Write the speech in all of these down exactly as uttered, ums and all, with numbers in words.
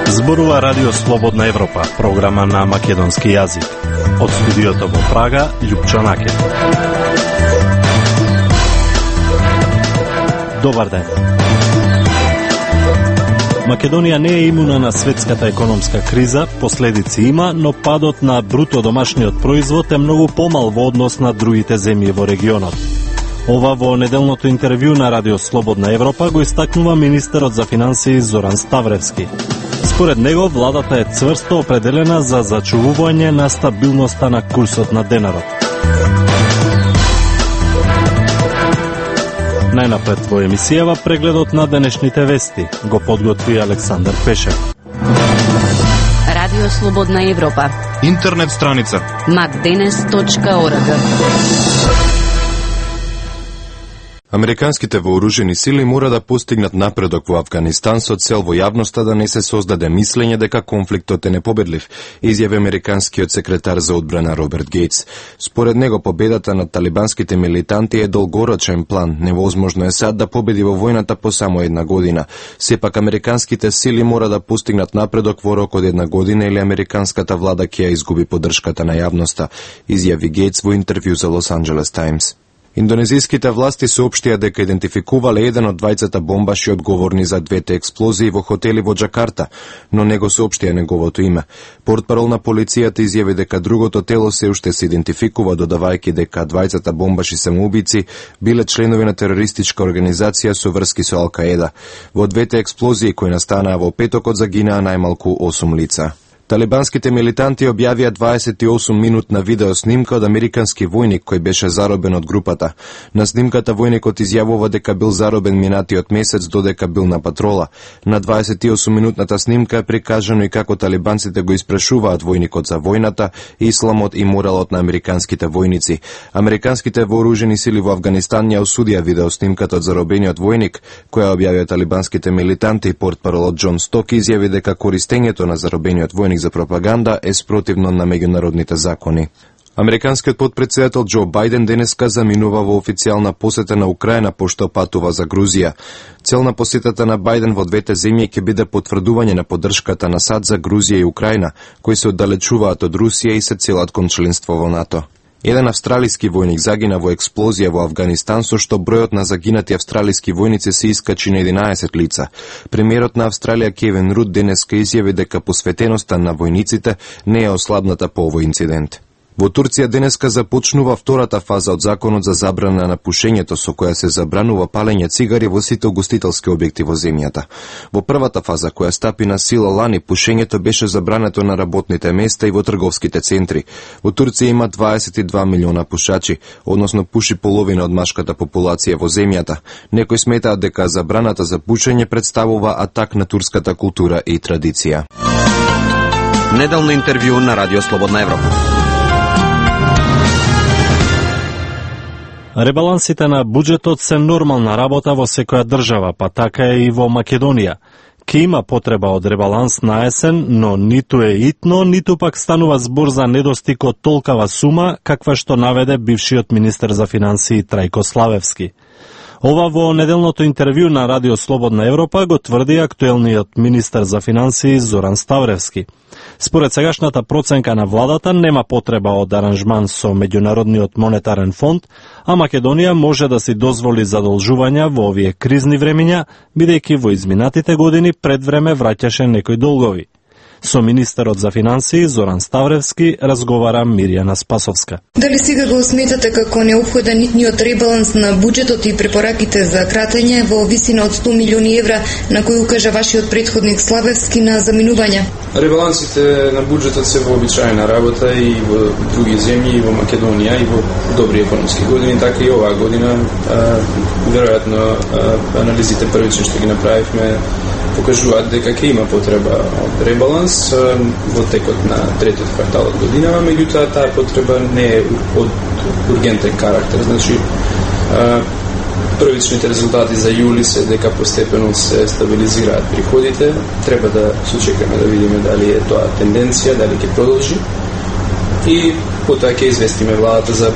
Зборува Радио Слободна Европа, програма на македонски јазик. Од студиото во Прага, Љупчо Накет. Добар ден. Македонија не е имуна на светската економска криза, последици има, но падот на бруто домашниот производ е многу помал во однос на другите земји во регионот. Ова во неделното интервју на Радио Слободна Европа го истакнува министерот за финансии Зоран Ставревски. Според него, владата е цврсто определена за зачувување на стабилноста на курсот на денарот. Најнапред во емисијава прегледот на денешните вести го подготви Александар Пешев. Радио Слободна Европа. Интернет страница мак денес точка орг. Американските вооружени сили мора да постигнат напредок во Авганистан со цел во јавноста да не се создаде мислење дека конфликтот е непобедлив, изјави американскиот секретар за одбрана Роберт Гейтс. Според него победата над талибанските милитанти е долгорочен план, невозможно е САД да победи во војната по само една година. Сепак американските сили мора да постигнат напредок во рок од една година или американската влада ќе ја изгуби поддршката на јавноста, изјави Гейтс во интервју за Лос Анџелес Таймс. Индонезиските власти соопштија дека идентификувале еден од двајцата бомбаши одговорни за двете експлозии во хотели во Џакарта, но не го соопштија неговото име. Портпарол на полицијата изјави дека другото тело се уште се идентификува, додавајќи дека двајцата бомбаши самоубици биле членови на терористичка организација со врски со Ал-Каеда. Во двете експлозии кои настанаа во петокот загинаа најмалку осум лица. Талибанските милитанти објавија дваесет и осум минутна видеоснимка од американски војник кој беше заробен од групата. На снимката војникот изјавува дека бил заробен минатиот месец додека бил на патрола. На дваесет и осум минутната снимка е прикажано и како талибанците го испрашуваат војникот за војната, исламот и моралот на американските војници. Американските вооружени сили во Авганистан ја осудија видеоснимката од заробениот војник, која објавија талибанските милитанти. Портпаролот Џон Сток изјави дека користењето на заробениот војник за пропаганда е спротивно на меѓународните закони. Американскиот потпредседател Џо Бајден денеска заминува во официјална посета на Украина пошто патува за Грузија. Цел на посетата на Бајден во двете земји ќе биде потврдување на поддршката на САД за Грузија и Украина, кои се оддалечуваат од Русија и се целат кон членство во НАТО. Еден австралиски војник загина во експлозија во Авганистан, со што бројот на загинати австралиски војници се искачи на единаесет лица. Премиерот на Австралија Кевин Руд денеска изјави дека посветеноста на војниците не е ослабната по овој инцидент. Во Турција денеска започнува втората фаза од законот за забрана на пушењето, со која се забранува палење цигари во сите угостителски објекти во земјата. Во првата фаза, која стапи на сила лани, пушењето беше забрането на работните места и во трговските центри. Во Турција има дваесет и два милиона пушачи, односно пуши половина од машката популација во земјата. Некои сметаат дека забраната за пушење представува атак на турската култура и традиција. Неделно интервју на Радио Слободна Европа. Ребалансите на буџетот се нормална работа во секоја држава, па така е и во Македонија. Ке има потреба од ребаланс на есен, но ниту е итно, ниту пак станува збор за недостиг од толкава сума, каква што наведе бившиот министер за финансии Трајко Славевски. Ова во неделното интервју на Радио Слободна Европа го тврди актуелниот министер за финансии Зоран Ставревски. Според сегашната проценка на владата нема потреба од аранжман со Меѓународниот монетарен фонд, а Македонија може да си дозволи задолжувања во овие кризни времиња, бидејќи во изминатите години пред време враќаше некои долгови. Со министерот за финансии Зоран Ставревски разговара Мирјана Спасовска. Дали сега го сметате како неопходен нитниот ребаланс на буџетот и препораките за кратење во висина од сто милиони евра на кои укажа вашиот претходник Славевски на заминување? Ребалансите на буџетот се вообичаена работа и во други земји, и во Македонија, и во добри економски години, така и оваа година. А, веројатно а, анализите првично што ги направивме покажуваат дека ќе има потреба од ребаланс во текот на третиот квартал од годинава, меѓутоа таа потреба не е од ургентен карактер. Значи, првичните резултати за јули се дека постепено се стабилизираат приходите. Треба да се чекаме да видиме дали е тоа тенденција, дали ќе продолжи. И потоа ќе известиме владата за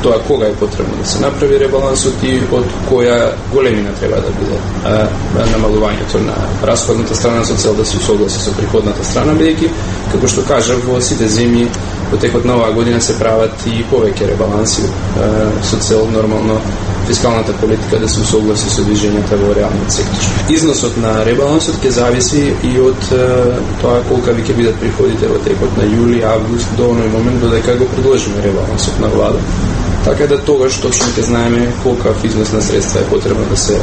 тоа кога е потребно да се направи ребалансот и од која големина треба да биде а, намалувањето на расходната страна со цел да се усогласи со приходната страна, бидејќи, како што кажав, во сите земји во текот на оваа година се прават и повеќе ребаланси а, со цел нормално фискалната политика да се усогласи со движењата во реалниот сектор. Износот на ребалансот ќе зависи и од а, тоа колка ви ќе бидат приходите во текот на јули, август, до оној момент додека го предложиме ребалансот на влада. Така да тогаш точно ќе знаеме колка износ на средства е потребно да се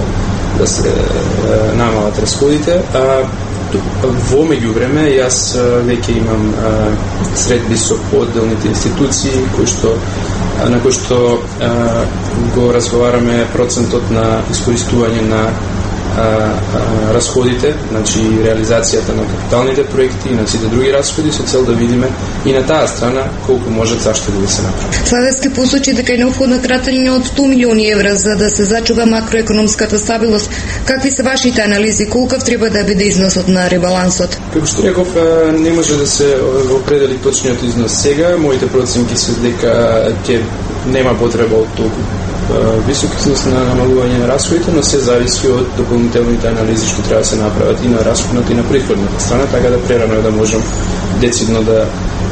да се е, намалат расходите. А, во меѓувреме јас веќе имам а, средби со поделните институции кои што на кои што а, го разговараме процентот на искористување на а, а, расходите, значи реализацијата на капиталните проекти и на сите други расходи со цел да видиме и на таа страна колку можат заштеди да се направи. Славевски посочи дека е необходно кратење од сто милиони евра за да се зачува макроекономската стабилност. Какви се вашите анализи? Колков треба да биде износот на ребалансот? Како што реков, не може да се определи точниот износ сега. Моите проценки се дека ќе нема потреба од толку висок износ на намалување на расходите, но се зависи од дополнителните анализи што треба да се направат и на расходната и на приходната страна, така да прерано да можам децидно да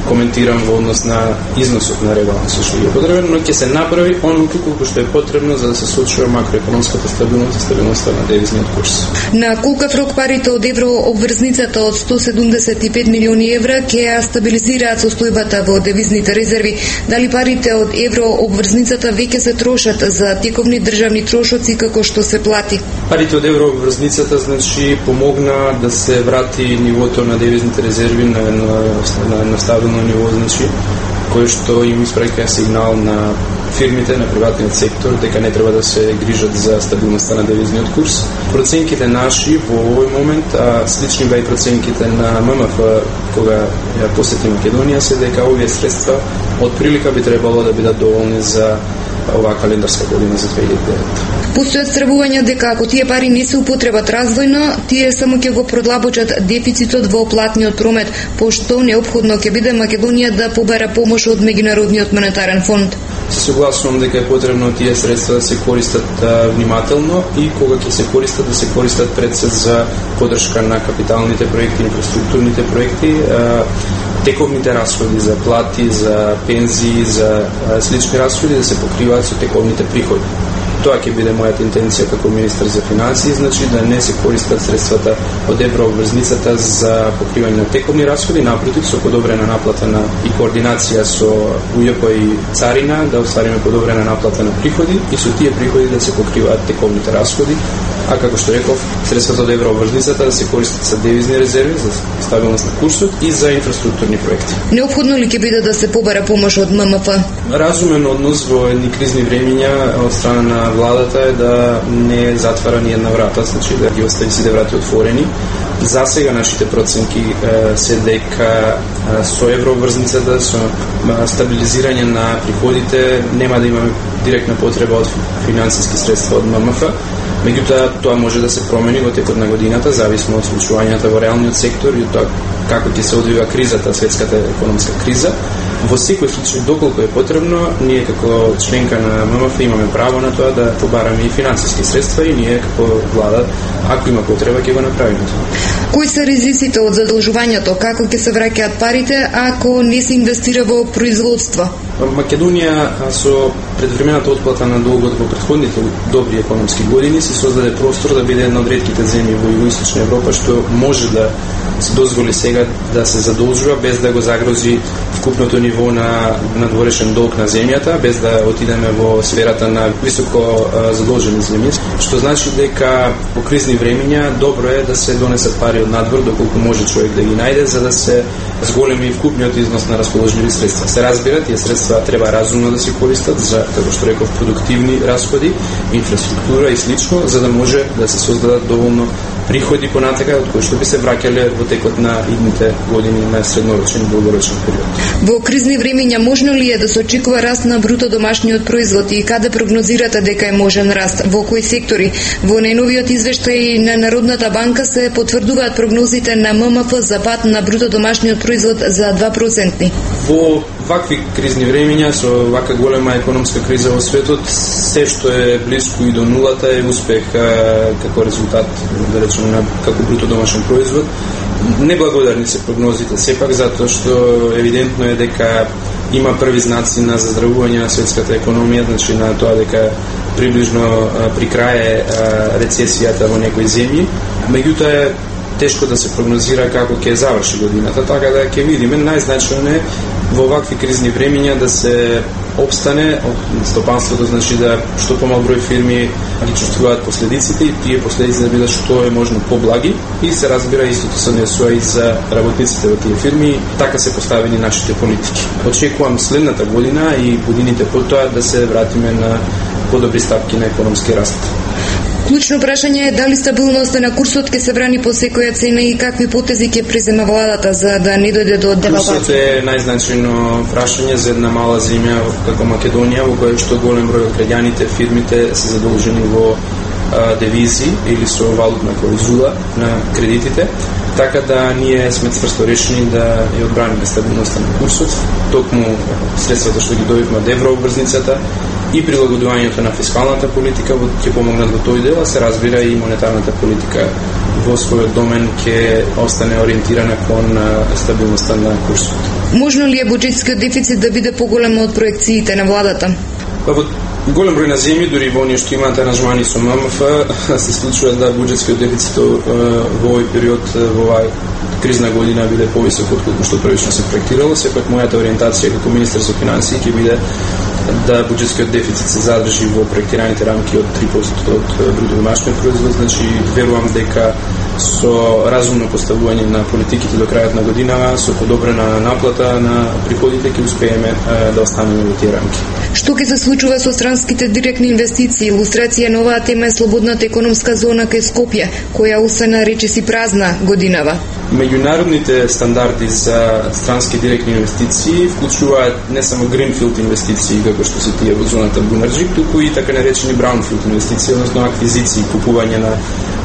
коментирам во однос на износот на ребалансот што е потребен, но ќе се направи оноliko колку што е потребно за да се сочува макроекономската стабилност и стабилноста на девизниот курс. На колкав рок парите од еврообврзницата од сто седумдесет и пет милиони евра ќе ја стабилизираат состојбата во девизните резерви? Дали парите од еврообврзницата веќе се трошат за тековни државни трошоци како што се плати? Парите од еврообврзницата значи помогна да се врати нивото на девизните резерви на на, на, на стабилно ниво, значи кој што им испраќа сигнал на фирмите, на приватниот сектор, дека не треба да се грижат за стабилноста на девизниот курс. Проценките наши во овој момент, а слични беа и проценките на ММФ кога ја посети Македонија, се дека овие средства од прилика би требало да бидат доволни за оваа календарска година за две илјади и девета. Постојат стравувања дека ако тие пари не се употребат развојно, тие само ќе го продлабочат дефицитот во платниот промет, пошто неопходно ќе биде Македонија да побара помош од Меѓународниот монетарен фонд. Се согласувам дека е потребно тие средства да се користат а, внимателно и кога ќе се користат, да се користат пред се за поддршка на капиталните проекти, инфраструктурните проекти, а, тековните расходи за плати, за пензии, за а, слични расходи да се покриваат со тековните приходи. Тоа ќе биде мојата интенција како министар за финансии, значи да не се користат средствата од еврообврзницата за покривање на тековни расходи, напротив, со подобрена наплата на и координација со УЈП и царина, да оствариме подобрена наплата на приходи и со тие приходи да се покриваат тековните расходи, а како што реков, средствата од еврообврзницата да се користат за девизни резерви, за стабилност на курсот и за инфраструктурни проекти. Неопходно ли ќе биде да се побара помош од ММФ? Разумен однос во едни кризни времиња од страна на владата е да не затвара ни една врата, значи да ги остави сите врати отворени. За сега нашите проценки е, се дека е, со еврообврзницата, со стабилизирање на приходите нема да имаме директна потреба од финансиски средства од ММФ. Меѓутоа, тоа може да се промени во текот на годината, зависно од случувањата во реалниот сектор и од тоа како ќе се одвива кризата, светската економска криза. Во секој случај, доколку е потребно, ние како членка на ММФ имаме право на тоа да побараме и финансиски средства и ние како влада, ако има потреба, ќе го направиме тоа. Кои се ризиците од задолжувањето? Како ќе се враќаат парите ако не се инвестира во производство? Македонија со предвремената отплата на долгот во претходните добри економски години се создаде простор да биде една од ретките земји во Југоисточна Европа што може да се дозволи сега да се задолжува без да го загрози вкупното ниво на надворешен долг на земјата, без да отидеме во сферата на високо задолжени земји, што значи дека во кризни времиња добро е да се донесат пари од надвор доколку може човек да ги најде за да се зголеми вкупниот износ на расположливи средства. Се разбира, тие средства треба разумно да се користат за, како што реков, продуктивни расходи, инфраструктура и слично, за да може да се создадат доволно приходи понатака од кои што би се враќале во текот на идните години на среднорочен и долгорочен период. Во кризни времиња можно ли е да се очекува раст на бруто домашниот производ и каде прогнозирате дека е можен раст? Во кои сектори? Во најновиот извештај на Народната банка се потврдуваат прогнозите на ММФ за пад на бруто домашниот производ за два проценти. Во вакви кризни времења, со вака голема економска криза во светот, се што е близко и до нулата е успех како резултат, да речеме, на како бруто домашен производ. Неблагодарни се прогнозите, сепак затоа што евидентно е дека има први знаци на заздравување на светската економија, значи на тоа дека приближно при крај е рецесијата во некои земји. Меѓутоа е тешко да се прогнозира како ќе заврши годината, така да ќе видиме. Најзначајно е во вакви кризни времења да се обстане од стопанството, значи да што помал број фирми ги чувствуваат последиците и тие последици да бидат што е можно поблаги и се разбира истото се однесува и за работниците во тие фирми. Така се поставени нашите политики. Очекувам следната година и годините потоа да се вратиме на подобри стапки на економски раст. Клучно прашање е дали стабилноста на курсот ќе се брани по секоја цена и какви потези ќе презема владата за да не дојде до девалвација. Курсот е најзначајно прашање за една мала земја како Македонија, во која што голем број од граѓаните, фирмите се задолжени во а, девизи или со валутна клаузула на кредитите, така да ние сме цврсто решени да ја одбраниме стабилноста на курсот, токму средствата што ги добивме од еврообврзницата и прилагодувањето на фискалната политика ќе помогнат во тој дел, а се разбира и монетарната политика во својот домен ќе остане ориентирана кон стабилноста на курсот. Можно ли е буџетскиот дефицит да биде поголем од проекциите на владата? Па во голем број на земји, дури во оние што имаат аранжмани со ММФ, се случува да буџетскиот дефицит во овој период, во оваа кризна година биде повисок од колку што првично се проектирало. Сепак мојата ориентација како министер за финансии ќе биде да буџетскиот дефицит се задржи во проектираните рамки од три проценти од бруто домашниот производ, значи верувам дека со разумно поставување на политиките до крајот на година, со подобрена наплата на приходите ќе успееме да останеме во тие рамки. Што ќе се случува со странските директни инвестиции? Илустрација на оваа тема е слободната економска зона кај Скопје, која остана речиси празна годинава. Меѓународните стандарди за странски директни инвестиции вклучуваат не само гринфилд инвестиции, како што се тие во зоната Бунарџик, туку и така наречени браунфилд инвестиции, односно аквизиции, купување на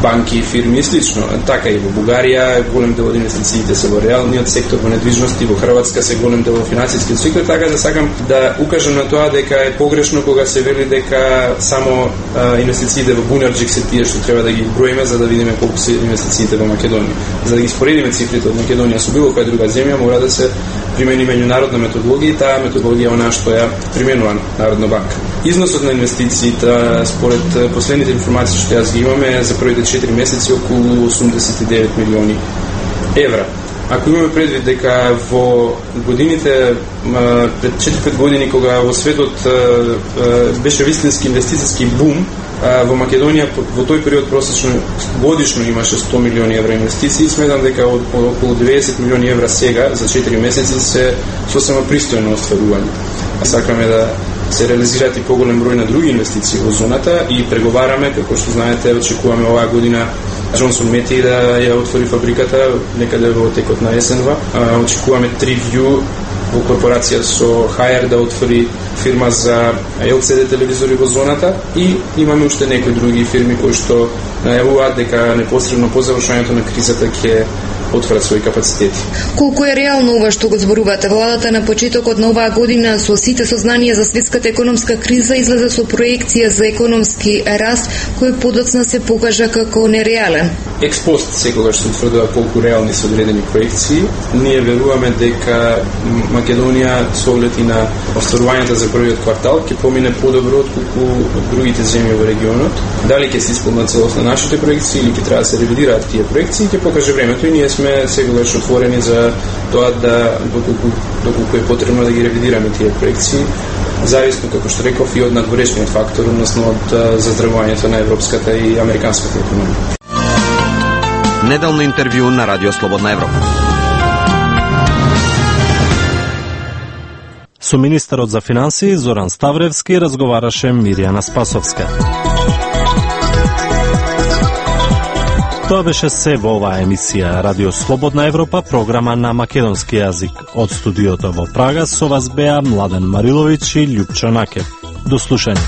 банки и фирми и слично. Така и во Бугарија голем дел од инвестициите се во реалниот сектор, во недвижности, во Хрватска се голем дел во финансискиот сектор, така да сакам да укажам на тоа дека е погрешно кога се вели дека само а, инвестициите во Бунарџик се тие што треба да ги броиме за да видиме колку се инвестициите во Македонија. За да ги споредиме цифрите од Македонија со било која друга земја, мора да се примени меѓународна методологија и таа методологија она што ја применува Народна банка. Износот на инвестициите според последните информации што јас ги имаме за првите четири месеци околу осумдесет и девет милиони евра. Ако имаме предвид дека во годините пред четири-пет години кога во светот беше вистински инвестициски бум, во Македонија во тој период просечно годишно имаше сто милиони евра инвестиции, сметам дека од околу деветдесет милиони евра сега за четири месеци се сосема пристојно остварување. Сакаме да се реализираат и поголем број на други инвестиции во зоната и преговараме, како што знаете, очекуваме оваа година Джонсон Мети да ја отвори фабриката некаде во текот на есенва. Очекуваме TreeView во корпорација со Хајер да отвори фирма за ел си ди телевизори во зоната и имаме уште некои други фирми кои што најавуваат дека непосредно по завршувањето на кризата ќе отворат своји капацитети. Колку е реално ова што го зборувате? Владата на почетокот на оваа година со сите сознанија за светската економска криза излезе со проекција за економски раст кој подоцна се покажа како нереален. Експост секогаш се утврдува колку реални се одредени проекции. Ние веруваме дека Македонија со оглед и на остварувањето за првиот квартал ќе помине подобро од колку другите земји во регионот. Дали ќе се исполнат целосно нашите проекции или ќе треба да се ревидираат тие проекции, ќе покаже времето и ние сме секогаш отворени за тоа да доколку доколку е потребно да ги ревидираме тие проекции, зависно како што реков и од надворешниот фактор, односно од заздравувањето на европската и американската економија. Неделно интервју на Радио Слободна Европа. Со министерот за финансии Зоран Ставревски разговараше Мирјана Спасовска. Тоа беше се во оваа емисија Радио Слободна Европа, програма на македонски јазик. Од студиото во Прага со вас беа Младен Мариловиќ и Љупчо Накев. До слушање.